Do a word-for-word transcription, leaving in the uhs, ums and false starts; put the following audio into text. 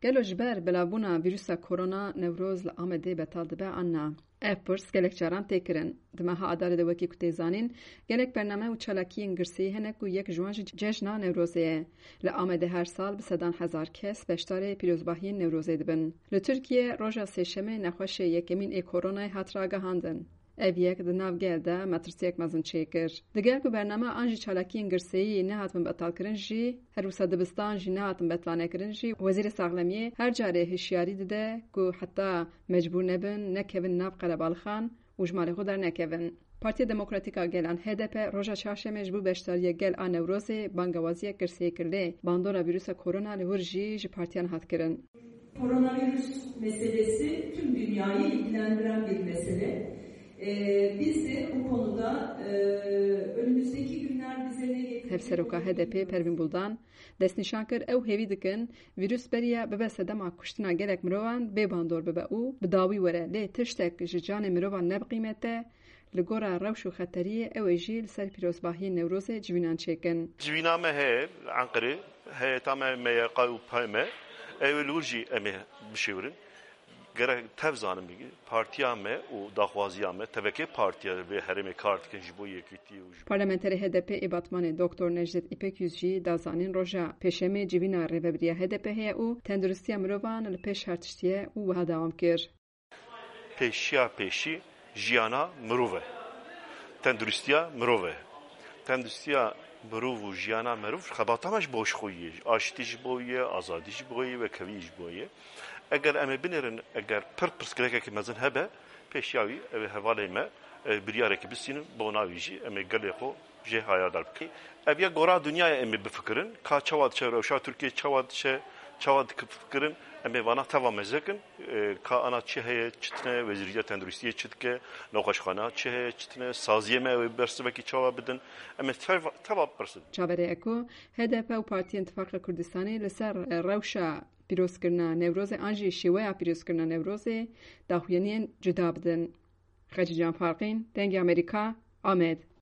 Gelo ji ber belavbûna vîrusa korona Newroz li Amedê betal dibe an na? Ev pirs gelek caran tê kirin. Di meha Adarê de wekî ku tê zanîn, gelek bername û çalakiyên girseyî hene ku yek ji wan jî cejna Newrozê ye. Li Amedê her sal bi sedan hezar kes beşdarê pîrozbahiyên Newrozê dibin. Li Tirkiye roja Sêşemê nexweşê yekemîn ê koronayê hat ragihandin. Ev yek di nav gel de metirsiyek mezin çêkir. Digel ku bername an jî çalakiyên girseyî nehatin betalkirin jî, her wisa dibistan jî nehatin betlanekirin jî, Wezîrê Saxlemiyê her carê hişyarî dide ku heta mecbûr nebin, nekevin nav qerebalixan û ji malê xwe dernekevin. Partiya Demokratîk a Gelan, H D P, roja çarşemê ji bo beşdariya gel a Newrozê bangewaziyek girseyî kir, lê bandora vîrusa korona li wir jî ji partiyan hat kirin. Koronavirüs meselesi tüm dünyayı ilgilendiren bir mesele. Ee, biz de bu konuda, e, önümüzdeki günler bize ne getirecek Hevseroka H D P Pervîn Buldan destnîşan kir, ew hêvî dikin vîrus beriya bibe sedema kuştina gelek mirovan bê bandor bibe û bi dawî were. Lê tiştek ji canê mirovan ne bi qîmet e, li gora rewş û xeteriyê ew ê jî li ser pîrozbahiyên Newrozê civînan çêkin. Civîna me heye li Enqerê, heyeta me, M Y K û P M, ew ê li wir jî em ê bişêwirin. Gerek tev zanin bigî, partiya me û daxwaziya me, tevekê partiya vê herêmê kar dikin ji bo yekîtiyê û ji Parlamenterê H D P ê Batmanê Doktor Necdet Îpekyüz jî da zanîn, roja Pêşemê civîna rêvebiriya H D P heye û tenduristiya mirovan li pêş her tiştî ye û wiha dewam kir. Pêşiya pêşî jiyana mirov e. Tenduristiya mirov e. Tenduristiya mirov û jiyana mirov xebata me ji bo ji xwe ye. Aştî ji bo ye, azadî ji bo ye, wekhevî ji bo ye. Eger em ê binêrin, eger pir pirsgirêkeke mezin hebe, pêşiya wî ew ê hevalê me, e, biryarekî bistînin, bona wî jî em ê gelê xwe jê hayardar bikin. Ev ya gora dinyayê em ê bifikirin, ka çawa diçe rewşa Tirkiyê, çawa diçe, çawa dikifikirin, em ê vana teva mezekin, e, ka ana çi heye, çi tine, wezîriya tenduristiyê çi dike, nexweşxana çi heye, çi tine, saziyê me ew ê bersivekî çawa bidin, em ê teva, teva bipirsin. Çaverê ye ku H D P û Partiyên Tifaqa Kurdistanê li ser, e, rewşa pîrozkirina Newrozê an jî şêweya pîrozkirina Newrozê daxuyaniyên cuda bidin. Xecîcan Farqîn, Dengê Amerîka, Amed.